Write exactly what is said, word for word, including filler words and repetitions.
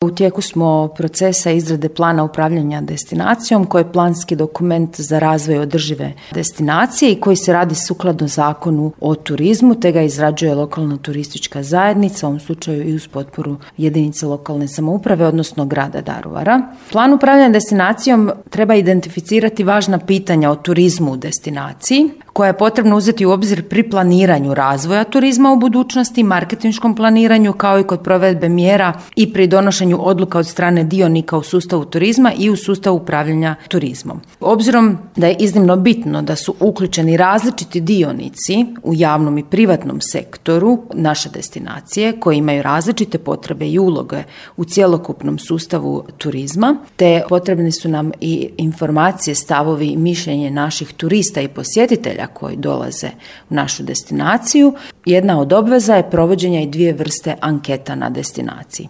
U tijeku smo procesa izrade plana upravljanja destinacijom, koji je planski dokument za razvoj održive destinacije i koji se radi sukladno Zakonu o turizmu, te ga izrađuje lokalna turistička zajednica, u ovom slučaju i uz potporu jedinice lokalne samouprave, odnosno grada Daruvara. Plan upravljanja destinacijom treba identificirati važna pitanja o turizmu u destinaciji, koja je potrebno uzeti u obzir pri planiranju razvoja turizma u budućnosti, marketinškom planiranju, kao i kod provedbe mjera i pri donošenju odluka od strane dionika u sustavu turizma i u sustavu upravljanja turizmom. Obzirom da je iznimno bitno da su uključeni različiti dionici u javnom i privatnom sektoru naše destinacije, koji imaju različite potrebe i uloge u cjelokupnom sustavu turizma, te potrebni su nam i informacije, stavovi i mišljenje naših turista i posjetitelja koji dolaze u našu destinaciju. Jedna od obveza je provođenja i dvije vrste anketa na destinaciji.